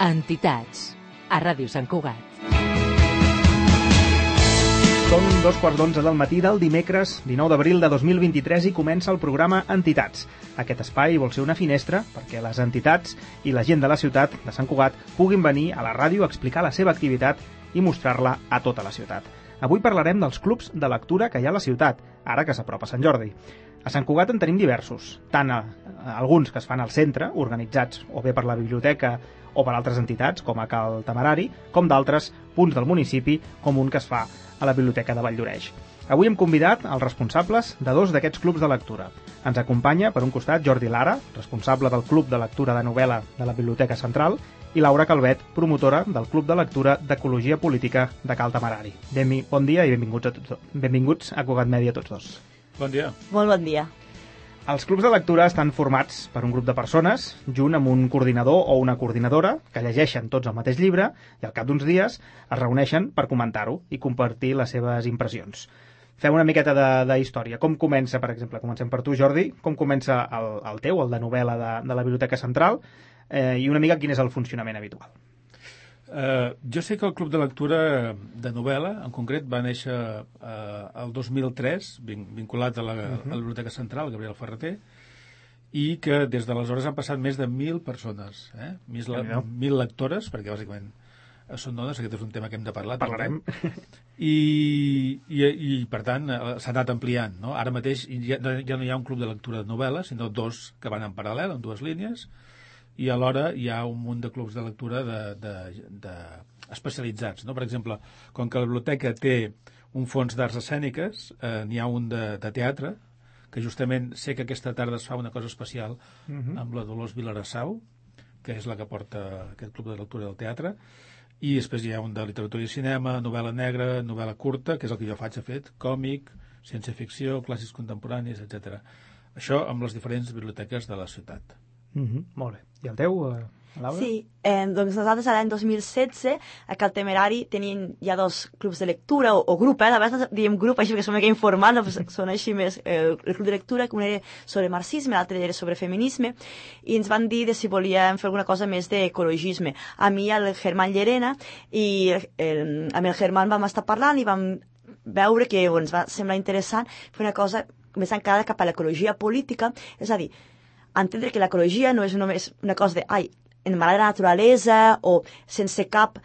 Entitats, a Ràdio Sant Cugat. Són 2:15 del matí del dimecres 19 d'abril de 2023 i comença el programa Entitats. Aquest espai vol ser una finestra perquè les entitats i la gent de la ciutat de Sant Cugat puguin venir a la ràdio a explicar la seva activitat i mostrar-la a tota la ciutat. Avui parlarem dels clubs de lectura que hi ha a la ciutat, ara que s'apropa Sant Jordi. A Sant Cugat en tenim diversos, tant alguns que es fan al centre, organitzats o bé per la biblioteca o per altres entitats, com a Cal Temerari, com d'altres punts del municipi, com un que es fa a la Biblioteca de Valldoreix. Avui hem convidat els responsables de dos d'aquests clubs de lectura. Ens acompanya, per un costat, Jordi Lara, responsable del Club de Lectura de Novel·la de la Biblioteca Central, i Laura Calvet, promotora del Club de Lectura d'Ecologia Política de Cal Temerari. Bon dia i benvinguts a Cugat Mèdia tots dos. Bon dia. Molt bon dia. Els clubs de lectura estan formats per un grup de persones, junt amb un coordinador o una coordinadora, que llegeixen tots el mateix llibre i al cap d'uns dies es reuneixen per comentar-ho i compartir les seves impressions. Fem una miqueta de història. Com comença, per exemple, comencem per tu, Jordi, com comença el teu, el de novel·la de la Biblioteca Central, i una mica quin és el funcionament habitual? Jo sé que el Club de Lectura de novel·la, en concret, va néixer el 2003, vinculat a la Biblioteca Central, Gabriel Ferreter, i que des d'aleshores han passat més de 1.000 persones, 1.000 lectores, perquè bàsicament són dones, aquest és un tema que hem de parlar. Parlarem. I per tant, s'ha anat ampliant, no? Ara mateix ja no hi ha un club de lectura de novel·la, sinó dos que van en paral·lel, en dues línies, i alhora hi ha un munt de clubs de lectura especialitzats, no? Per exemple, com que la biblioteca té un fons d'arts escèniques, n'hi ha un de teatre, que justament sé que aquesta tarda es fa una cosa especial amb la Dolors Vilarassau, que és la que porta aquest club de lectura del teatre, i després hi ha un de literatura i cinema, novel·la negra, novel·la curta, que és el que jo faig, he fet, còmic, ciència-ficció, clàssics contemporanis, etc. Això amb les diferents biblioteques de la ciutat. Molt bé. I el teu, Laura? Sí, doncs nosaltres l'any 2016 a Cal Temerari tenien ja dos clubs de lectura o grup, a vegades diem grup així perquè som una mica informant, són així més el club de lectura, que un era sobre marxisme, l'altre era sobre feminisme, i ens van dir si volíem fer alguna cosa més d'ecologisme. A mi, el Germán Llerena, i amb el Germán vam estar parlant i vam veure que ens va semblar interessant fer una cosa més encara cap a l'ecologia política, és a dir, entendre que l'ecologia no és només una cosa en mal de la naturalesa o sense cap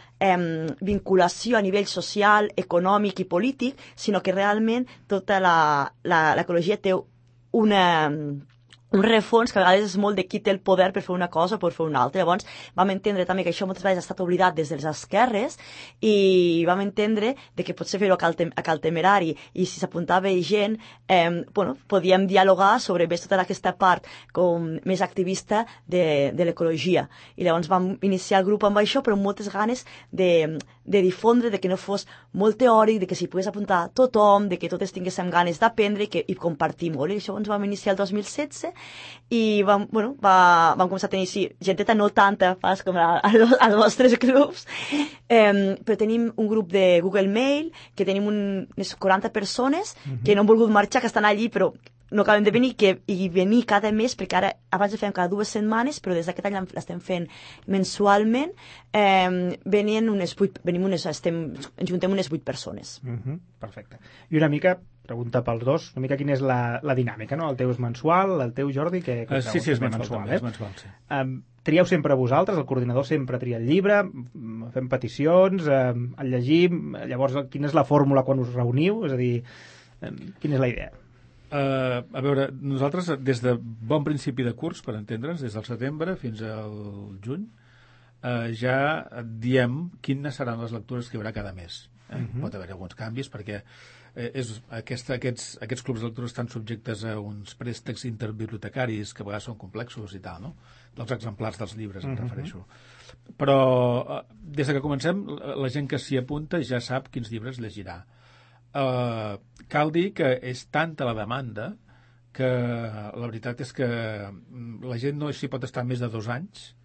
vinculació a nivell social, econòmic i polític, sinó que realment tota l'ecologia té un refons que a vegades és molt de qui té el poder per fer una cosa o per fer una altra. Llavors vam entendre també que això moltes vegades ha estat oblidat des dels esquerres i vam entendre que potser fer-ho a Cal Temerari i si s'apuntava gent, podíem dialogar sobre més tota aquesta part com més activista de l'ecologia. I llavors vam iniciar el grup amb això, però amb moltes ganes de difondre, de que no fos molt teòric, de que s'hi pogués apuntar tothom, de que totes tinguéssim ganes d'aprendre i compartir molt. I això ens vam iniciar el 2016 i vam començar a tenir genteta no tanta pas com als vostres clubs, però tenim un grup de Google Mail que tenim unes 40 persones que no han volgut marxar, que estan allí però no acaben de venir i venir cada mes, perquè ara abans ho fem cada 2 setmanes, però des d'aquest any l'estem fent mensualment. Ens juntem unes 8 persones. Perfecte. I una mica, pregunta pels dos, una mica quina és la dinàmica, no? El teu és mensual, el teu, Jordi, que sí, és mensual, és mensual, sí. Trieu sempre vosaltres, el coordinador sempre tria el llibre, fem peticions, el llegim, llavors quina és la fórmula quan us reuniu? És a dir, quina és la idea? A veure, nosaltres des de bon principi de curs, per entendre'ns, des del setembre fins al juny, ja diem quines seran les lectures que hi haurà cada mes. Pot haver alguns canvis perquè aquests clubs de lectura estan subjectes a uns préstecs interbibliotecaris que a vegades són complexos i tal, no? Dels exemplars dels llibres, em refereixo. Però des que comencem, la gent que s'hi apunta ja sap quins llibres llegirà. Cal dir que és tanta la demanda que la veritat és que la gent no s'hi pot estar més de 2 anys.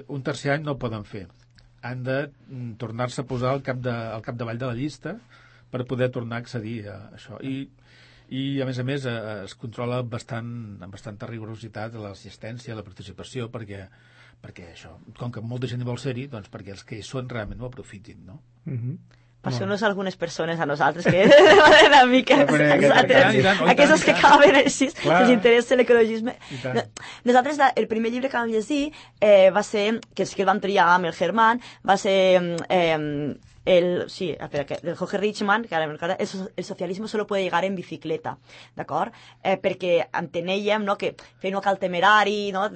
Un tercer any no ho poden fer. Han de tornar-se a posar al capdavall de la llista per poder tornar a accedir a això. I I, a més, es controla amb bastanta rigorositat l'assistència, la participació, perquè això, com que molta gent hi vol ser-hi, doncs perquè els que hi són realment ho aprofitin, no? Passeu-nos algunes persones a nosaltres que van una mica aquestes que acaben així, que els interessa l'ecologisme. Nosaltres, el primer llibre que vam llegir va ser, que el vam triar amb el Germán, va ser del Jorge Richman, que el socialisme solo puede llegar en bicicleta, d'acord? Perquè entenèiem, no, que feien un cal temerari, no,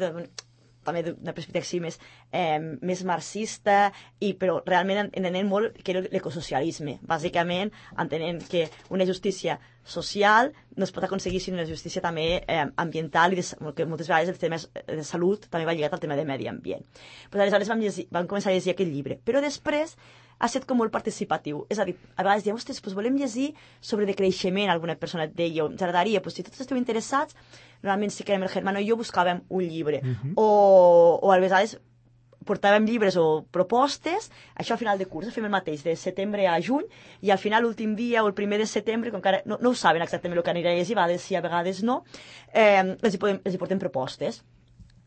també d'una perspectiva així més marxista, però realment entenent molt que era l'ecosocialisme. Bàsicament, entenent que una justícia social no es pot aconseguir sinó una justícia també ambiental, i que moltes vegades el tema de salut també va lligat al tema de medi ambient. Pues aleshores vam començar a llegir aquest llibre, però després ha estat com molt participatiu. És a dir, a vegades diem, ostres, doncs volem llegir sobre decreixement, alguna persona et deia, ens agradaria, doncs si tots esteu interessats, normalment si querem el Germán i jo buscàvem un llibre. O a vegades portàvem llibres o propostes, això a final de curs, fem el mateix, de setembre a juny, i al final, l'últim dia o el primer de setembre, com que ara no ho saben exactament el que anirà a llegir, a vegades sí, a vegades no, els hi portem propostes.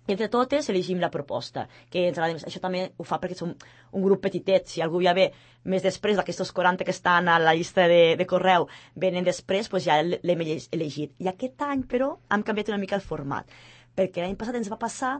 I entre totes elegim la proposta, que ens agrada més. Això també ho fa perquè som un grup petitet. Si algú ja ve més després d'aquestos 40 que estan a la llista de correu, venen després, doncs ja l'hem elegit. I aquest any, però, hem canviat una mica el format, perquè l'any passat ens va passar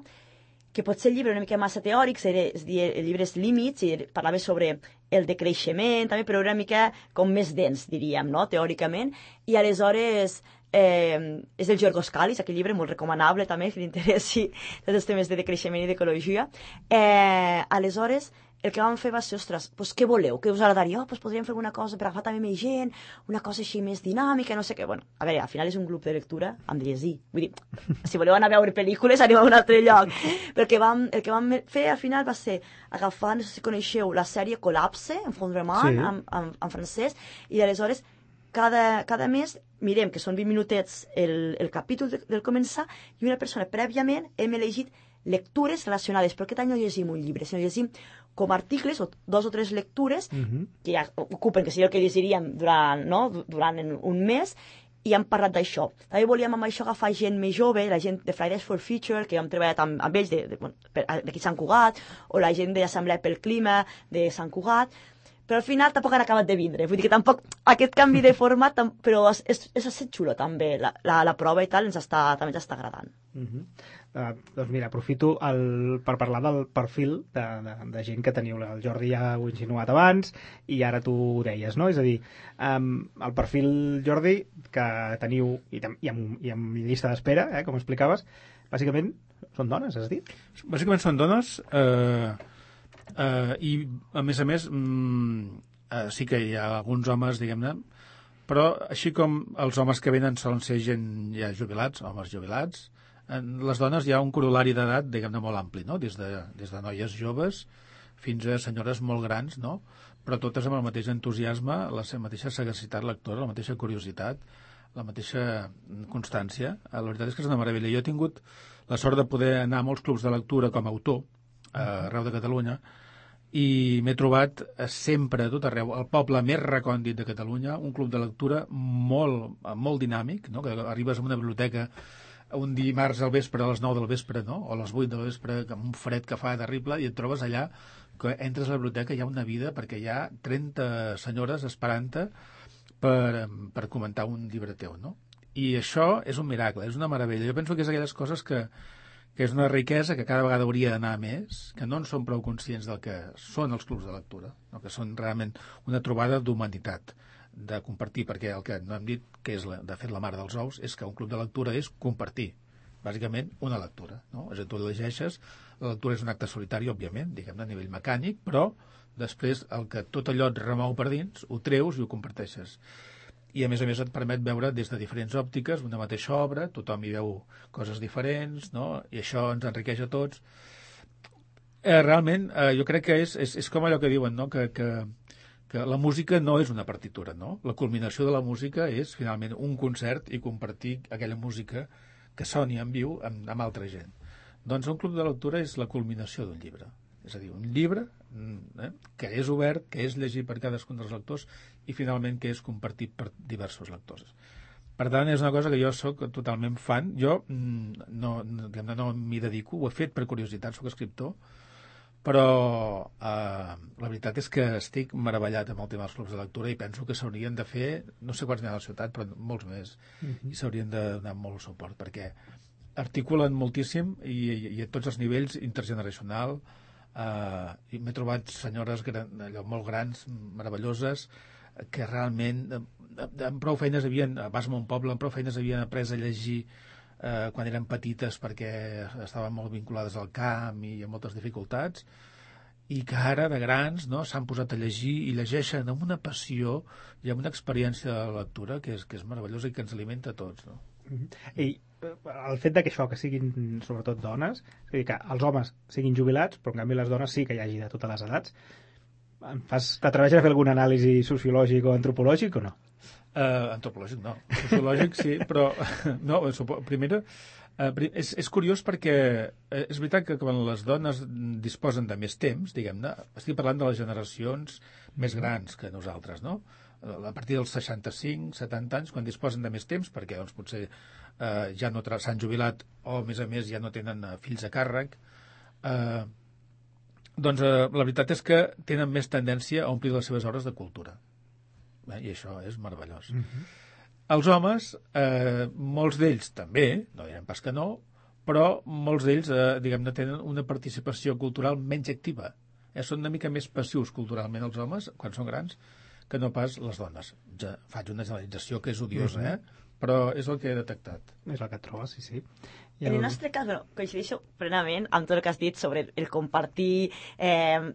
que potser el llibre era una mica massa teòric, es deia el llibre Límits, i parlava sobre el decreixement, també, però era una mica com més dens, diríem, no?, teòricament, i aleshores és del Giorgos Kallis, aquell llibre molt recomanable també, que li interessi tots els temes de decreixement i d'ecologia. Aleshores, el que vam fer va ser, ostres, doncs què voleu? Què us agradaria? Doncs podríem fer alguna cosa per agafar també més gent, una cosa així més dinàmica, no sé què. Bueno, a veure, al final és un grup de lectura amb llegir. Vull dir, si voleu anar a veure pel·lícules, anem a un altre lloc. Però el que vam fer al final va ser agafar, no sé si coneixeu, la sèrie Collapse, en Fondrement, en francès, i aleshores cada mes mirem que són 20 minutets el capítol del començar, i una persona prèviament hem elegit lectures relacionades, però aquest any no llegim un llibre, sinó llegim com articles o 2 o 3 lectures que ja ocupen, que seria el que llegiríem durant un mes, i hem parlat d'això. També volíem amb això agafar gent més jove, la gent de Fridays for Future, que hem treballat amb ells d'aquí Sant Cugat, o la gent de l'Assemblea pel Clima de Sant Cugat, però al final tampoc han acabat de vindre. Vull dir que tampoc aquest canvi de format, però és estat xulo també, la prova i tal, també ens està agradant. Doncs mira, aprofito per parlar del perfil de gent que teniu. El Jordi ja ho ha insinuat abans i ara tu ho deies, no? És a dir, el perfil, Jordi, que teniu i amb llista d'espera, com explicaves, bàsicament són dones, has dit? Bàsicament són dones, i a més sí que hi ha alguns homes, diguem-ne, però així com els homes que venen solen ser gent ja jubilats, homes jubilats, les dones hi ha un corolari d'edat, diguem-ne, molt ampli, no? Des de noies joves fins a senyores molt grans, no? Però totes amb el mateix entusiasme, la mateixa sagacitat lectora, la mateixa curiositat, la mateixa constància. La veritat és que és una meravella. Jo he tingut la sort de poder anar a molts clubs de lectura com a autor arreu de Catalunya, i m'he trobat sempre a tot arreu, al poble més recòndit de Catalunya, un club de lectura molt dinàmic, no? Que arribes a una biblioteca un dimarts al vespre a les 9 del vespre, no? O a les 8 del vespre, amb un fred que fa terrible, i et trobes allà que entres a la biblioteca, hi ha una vida, perquè hi ha 30 senyores esperant-te per comentar un llibre teu, no? I això és un miracle, és una meravella. Jo penso que és aquelles coses que és una riquesa que cada vegada hauria d'anar més, que no en som prou conscients del que són els clubs de lectura, no? Que són realment una trobada d'humanitat, de compartir, perquè el que no hem dit, que és de fet la mare dels ous, és que un club de lectura és compartir, bàsicament una lectura, no? És a dir, tu llegeixes, la lectura és un acte solitari, òbviament, diguem-ne, a nivell mecànic, però després tot allò et remou per dins, ho treus i ho comparteixes. I a més et permet veure des de diferents òptiques una mateixa obra, tothom hi veu coses diferents, no? I això ens enriqueix a tots. Realment, jo crec que és com allò que diuen, no? Que la música no és una partitura, no? La culminació de la música és, finalment, un concert i compartir aquella música que soni en viu amb altra gent. Doncs un club de lectura és la culminació d'un llibre. És a dir, un llibre que és obert, que és llegit per cadascun dels lectors i finalment que és compartit per diversos lectors. Per tant, és una cosa que jo sóc totalment fan. Jo no m'hi dedico, ho he fet per curiositat, sóc escriptor, però la veritat és que estic meravellat amb el tema dels clubs de lectura i penso que s'haurien de fer, no sé quants n'hi ha a la ciutat, però molts més, i s'haurien de donar molt suport, perquè articulen moltíssim i a tots els nivells, intergeneracional, i m'he trobat senyores molt grans, meravelloses, que realment amb prou feines a Bas Mon Poble, amb prou feines havien après a llegir quan eren petites perquè estaven molt vinculades al camp i amb moltes dificultats, i que ara de grans s'han posat a llegir i llegeixen amb una passió i amb una experiència de lectura que és meravellosa i que ens alimenta a tots, no? I el fet que això, que siguin sobretot dones, és a dir, que els homes siguin jubilats, però en canvi les dones sí que hi hagi de totes les edats, t'atreveixes a fer algun anàlisi sociològic o antropològic o no? Antropològic no, sociològic sí, però no, primera és curiós perquè és veritat que quan les dones disposen de més temps, diguem-ne, estic parlant de les generacions més grans que nosaltres, no? A partir dels 65, 70 anys, quan disposen de més temps, perquè doncs, potser ja no s'han jubilat o, a més, ja no tenen fills a càrrec, doncs la veritat és que tenen més tendència a omplir les seves hores de cultura. I això és meravellós. Els homes, molts d'ells també, no direm pas que no, però molts d'ells, diguem-ne, tenen una participació cultural menys activa. Són una mica més passius culturalment els homes, quan són grans, que no pas les dones. Ja faig una generalització que és odiosa, però és el que he detectat. És el que et trobes, sí. En el nostre cas, coincideixo plenament amb tot el que has dit sobre el compartir, el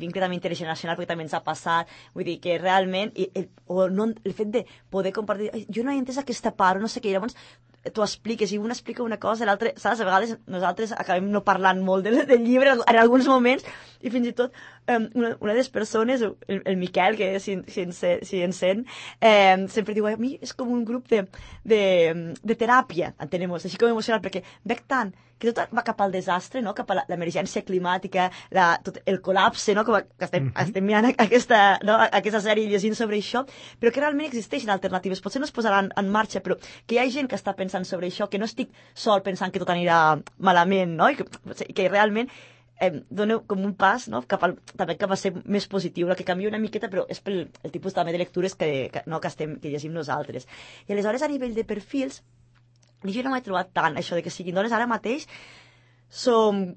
vincle també intergeneracional, perquè també ens ha passat, vull dir que realment, el fet de poder compartir, jo no he entès aquesta part, no sé què, llavors t'ho expliques, i un explica una cosa, l'altre, saps? A vegades nosaltres acabem no parlant molt del llibre en alguns moments, i fins i tot una de les persones, el Miquel, que si ens sent, sempre diu, a mi és com un grup de teràpia, entenem, així com emocional, perquè veig tant que tot va cap al desastre, no? Cap a l'emergència climàtica, tot el col·lapse, no? Que estem mirant aquesta sèrie i llegint sobre això, però que realment existeixen alternatives. Potser no es posaran en marxa, però que hi ha gent que està pensant sobre això, que no estic sol pensant que tot anirà malament, no? I que realment dona com un pas, no? També cap a ser més positiu, que canvia una miqueta, però és pel tipus també de lectures que llegim nosaltres. I aleshores, a nivell de perfils, jo no m'he trobat tant això de que siguin dones. Ara mateix som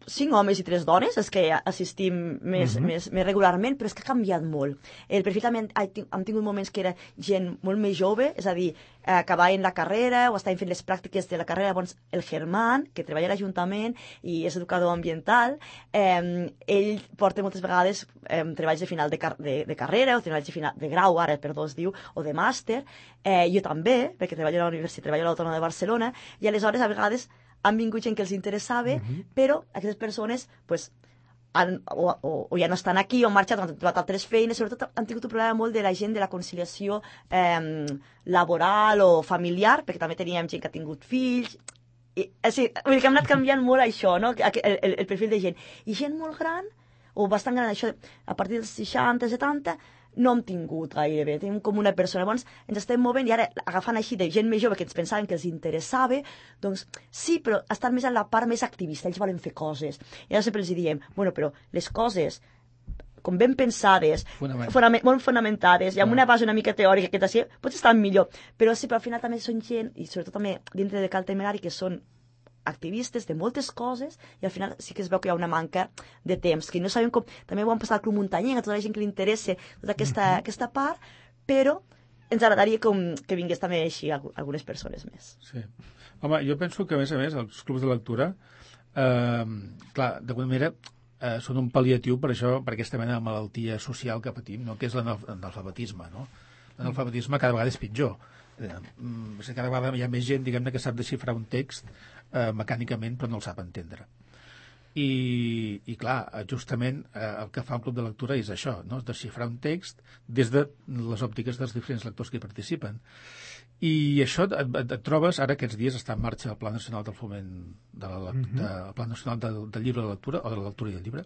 5 homes i 3 dones, és que assistim més regularment, però és que ha canviat molt. El perfil també hem tingut moments que era gent molt més jove, és a dir, acabaven la carrera o estaven fent les pràctiques de la carrera. Llavors el Germán, que treballa a l'Ajuntament i és educador ambiental, ell porta moltes vegades treballs de final de carrera o treballs de final de grau, ara, perdó, es diu, o de màster. Jo també, perquè treballo a la Universitat, treballo a l'Autònoma de Barcelona, i aleshores a vegades han vingut gent que els interessava, però aquestes persones pues, o ja no estan aquí, o han marxat, o han trobat altres feines. Sobretot han tingut un problema molt de la gent de la conciliació laboral o familiar, perquè també teníem gent que ha tingut fills. Vull dir que hem anat canviant molt això, no? El perfil de gent. I gent molt gran, o bastant gran, això, a partir dels 60, 70, no hem tingut gairebé, tenim com una persona. Llavors ens estem movent i ara agafant així de gent més jove que ens pensaven que els interessava, doncs sí, però estan més en la part més activista, ells volen fer coses. I ara sempre els diem, bueno, però les coses com ben pensades, molt fonamentades, i amb una base una mica teòrica que t'hacia, potser estan millor. Però sí, però al final també són gent, i sobretot també dintre de Cal Temerari, que són activistes de moltes coses, i al final sí que es veu que hi ha una manca de temps, que no sabem com, també ho han passat al Club Muntanyenc, a tota la gent que li interessa tota aquesta part, però ens agradaria que vingués també així algunes persones més. Sí. Home, jo penso que a més els clubs de lectura clar, d'alguna manera són un pal·liatiu per això, per aquesta mena de malaltia social que patim, no? Que és l'analfabetisme, no? L'analfabetisme cada vegada és pitjor. Cada vegada hi ha més gent, diguem-ne, que sap desxifrar un text mecànicament, però no el sap entendre. I clar, justament el que fa un club de lectura és això, no? Desxifrar un text des de les òptiques dels diferents lectors que hi participen. I això et trobes, ara aquests dies està en marxa el Pla Nacional del Foment el Pla Nacional del Llibre de Lectura, o de la Lectura i del Llibre,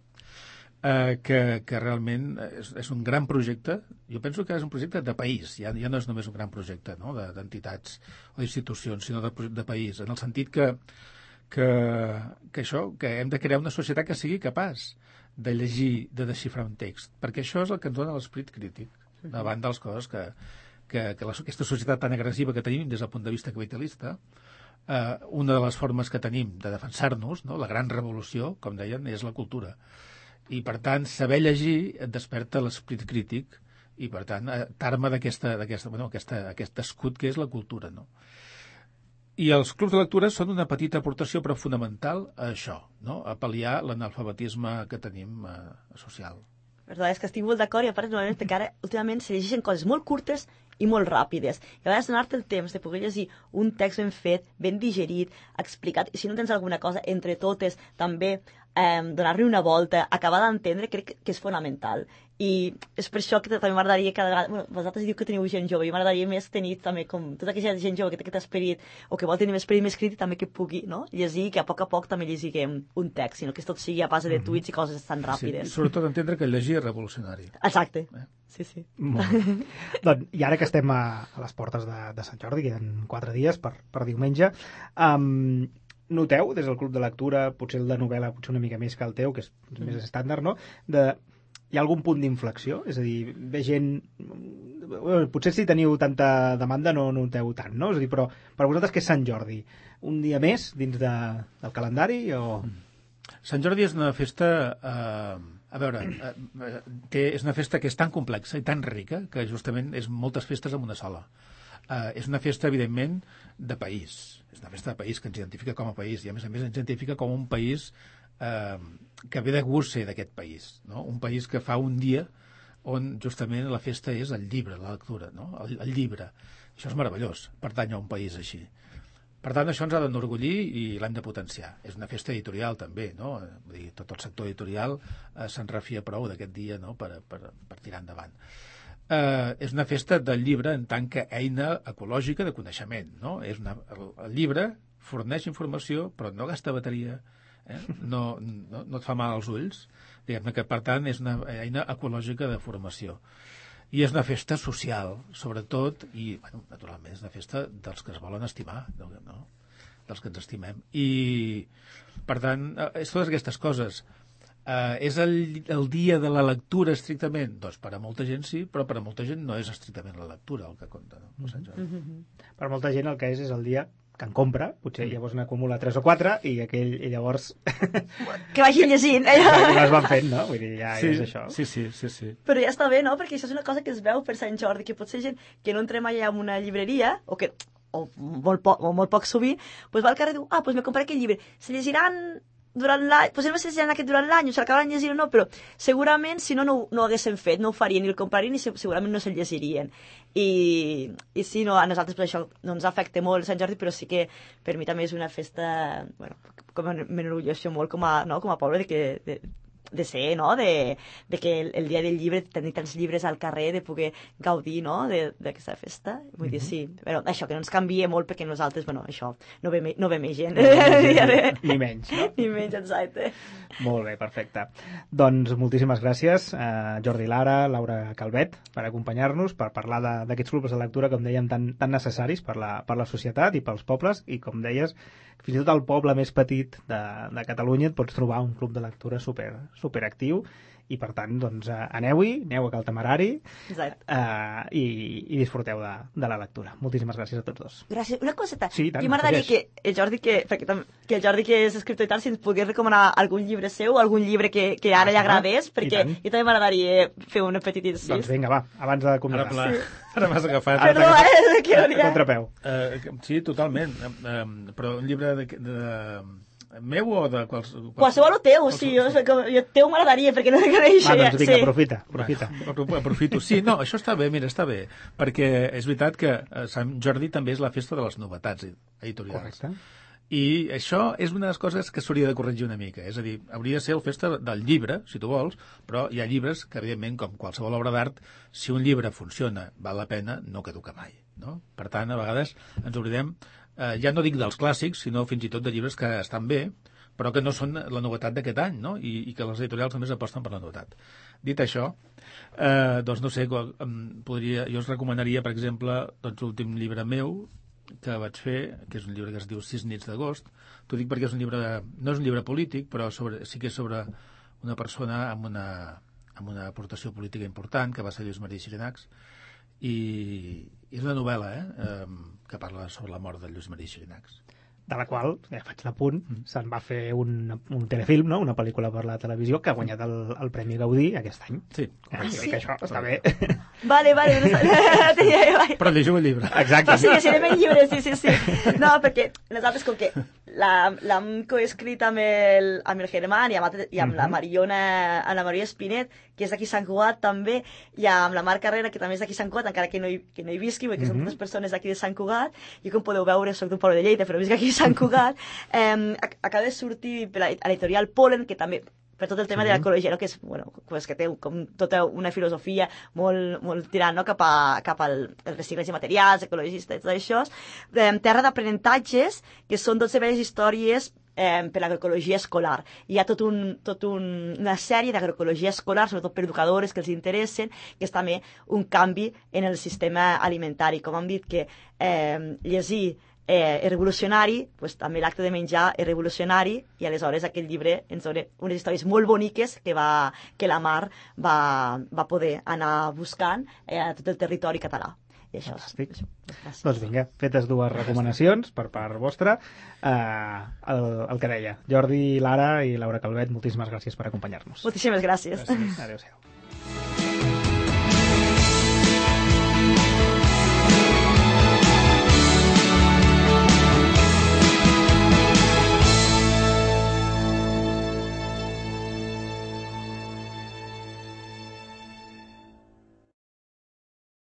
que realment és un gran projecte. Jo penso que és un projecte de país, ja no és només un gran projecte, no?, d'entitats o d'institucions, sinó de país, en el sentit que hem de crear una societat que sigui capaç de llegir, de desxifrar un text, perquè això és el que ens dona l'esperit crític davant de les coses que aquesta societat tan agressiva que tenim des del punt de vista capitalista. Una de les formes que tenim de defensar-nos, no?, la gran revolució, com deien, és la cultura. I, per tant, saber llegir et desperta l'esperit crític i, per tant, t'arma aquest escut que és la cultura, no? I els clubs de lectura són una petita aportació, però fonamental, a això, no?, a pal·liar l'analfabetisme que tenim social. La veritat és que estic molt d'acord i a part normalment perquè ara últimament se llegeixen coses molt curtes i molt ràpides. I a vegades donar-te el temps de poder llegir un text ben fet, ben digerit, explicat, i si no tens alguna cosa entre totes, també donar-li una volta, acabar d'entendre, crec que és fonamental. I és per això que també m'agradaria cada vegada... Bueno, vosaltres diu que teniu gent jove, i m'agradaria més tenir també com tota aquesta gent jove que té aquest esperit, o que vol tenir més esperit més crític, també que pugui, no?, llegir, que a poc també llegiguem un text, sinó que tot sigui a base de tuits i coses tan ràpides. Sí, sobretot entendre que llegir és revolucionari. Exacte. Sí. Doncs, i ara que estem a les portes de Sant Jordi, queden 4 dies per diumenge, noteu, des del club de lectura, potser el de novel·la, potser una mica més que el teu, que és més estàndard, no?, hi ha algun punt d'inflexió? És a dir, ve gent... Potser si teniu tanta demanda no noteu tant, no? És a dir, però per vosaltres què és Sant Jordi? Un dia més dins del calendari o...? Sant Jordi és una festa... A veure, és una festa que és tan complexa i tan rica que justament és moltes festes en una sola. És una festa, evidentment, de país. És una festa de país que ens identifica com a país i, a més ens identifica com un país que ve de gust ser d'aquest país, no? Un país que fa un dia on justament la festa és el llibre, la lectura, no?, el llibre. Això és meravellós, pertany a un país així. Per tant, això ens ha d'enorgullir i l'hem de potenciar. És una festa editorial també, no? Vull dir, tot el sector editorial se'n refia prou d'aquest dia, no?, per tirar endavant. És una festa del llibre en tant que eina ecològica de coneixement, no? El llibre forneix informació però no gasta bateria, no et fa mal als ulls, diguem-ne que per tant és una eina ecològica de formació. I és una festa social, sobretot, i bueno, naturalment és una festa dels que es volen estimar, no? Dels que ens estimem. I per tant, és totes aquestes coses. És el dia de la lectura estrictament? Doncs per a molta gent sí, però per a molta gent no és estrictament la lectura el que compta, no? Per molta gent el que és el dia que en compra, potser llavors n'acumula 3 o 4 i llavors... Que vagin llegint. Que les van fent, no? Vull dir, ja és això. Sí. Però ja està bé, no? Perquè això és una cosa que es veu per Sant Jordi, que potser gent que no entrem allà en una llibreria, o molt poc sovint, doncs va al carrer i diu, doncs me compraré aquest llibre. Se llegiran durant l'any, potser no se llegiran aquest durant l'any, o s'acabaran llegint o no, però segurament si no ho haguessin fet, no ho farien ni el comprarien i segurament no se'l llegirien. I sí, no, a nosaltres per això no ens afecta molt Sant Jordi, però sí que per mi també és una festa, bueno, com m'enorgulleixo molt com a poble de ser, no?, de que el dia del llibre, tenir tants llibres al carrer, de poder gaudir, no?, d'aquesta festa. Vull dir, sí, però això, que no ens canvia molt perquè nosaltres, bueno, això, no ve més gent. Ni menys, no? Ni menys, exacte. Molt bé, perfecte. Doncs moltíssimes gràcies a Jordi Lara, Laura Calvet, per acompanyar-nos, per parlar d'aquests clubs de lectura, com dèiem, tan necessaris per la societat i pels pobles, i com deies, fins i tot al poble més petit de Catalunya et pots trobar un club de lectura superactiu, i per tant, doncs, aneu-hi, aneu a Cal Temerari i disfruteu de la lectura. Moltíssimes gràcies a tots dos. Gràcies. Una coseta. Sí, tant, jo m'agradaria que el Jordi, que el Jordi, que és escriptor i tal, si ens pogués recomanar algun llibre seu, algun llibre que ara li agradés, perquè jo també m'agradaria fer un petit incís. Doncs vinga, va, abans de començar. Ara m'has agafat. Perdó, que no contrapeu. Sí, totalment. Però un llibre meu o de qualsevol o teu, sí, jo teu m'agradaria perquè no coneix. Doncs vinga, aprofita. Aprofito. Sí, no, això està bé, mira, està bé, perquè és veritat que Sant Jordi també és la festa de les novetats editorials. Correcte. I això és una de les coses que s'hauria de corregir una mica, és a dir, hauria de ser la festa del llibre, si tu vols, però hi ha llibres que, evidentment, com qualsevol obra d'art, si un llibre funciona, val la pena, no caduca mai, no? Per tant, a vegades ens oblidem, ja no dic dels clàssics, sinó fins i tot de llibres que estan bé, però que no són la novetat d'aquest any, no? I que les editorials només aposten per la novetat. Dit això, doncs no sé, jo us recomanaria, per exemple, doncs, l'últim llibre meu que vaig fer, que és un llibre que es diu 6 nits d'agost. T'ho dic perquè és un llibre no és un llibre polític, però sí que és sobre una persona amb una aportació política important, que va ser Lluís Maria Xirinacs, i és una novel·la que parla sobre la mort de Lluís Maria Xirinacs. De la qual, faig l'apunt, se'n va fer un telefilm, no? Una pel·lícula per la televisió que ha guanyat el Premi Gaudí aquest any. Sí. Sí? Que això està bé. Vale. Però llegiu el llibre. Exacte. Sí, anem en llibre, sí. No, perquè nosaltres, com que l'hem coescrit amb el Germán i amb la Ana Maria Espinet, que és d'aquí Sant Cugat també, i amb la Mar Carrera, que també és d'aquí Sant Cugat, encara que no hi visqui, perquè són totes persones d'aquí de Sant Cugat. Jo, com podeu veure, soc d'un poble de Lleida, però visc aquí a Sant Cugat. Acaba de sortir a l'editorial Polen, que també per tot el tema de l'ecologia, no? Que és, bueno, que té com tota una filosofia molt tirant, no? cap al reciclatge de materials, ecologista i tot això. Terra d'aprenentatges, que són 12 belles històries per l'agroecologia escolar. Hi ha una sèrie d'agroecologia escolar, sobretot per educadores que els interessen, que és també un canvi en el sistema alimentari. Com hem dit que llegir és revolucionari, doncs també l'acte de menjar és revolucionari, i aleshores aquest llibre ens dona unes històries molt boniques que la Mar va poder anar buscant a tot el territori català. I això, doncs vinga, fetes dues recomanacions per part vostra. El que deia, Jordi, Lara i Laura Calvet, moltíssimes gràcies per acompanyar-nos. Moltíssimes gràcies. Adéu-siau.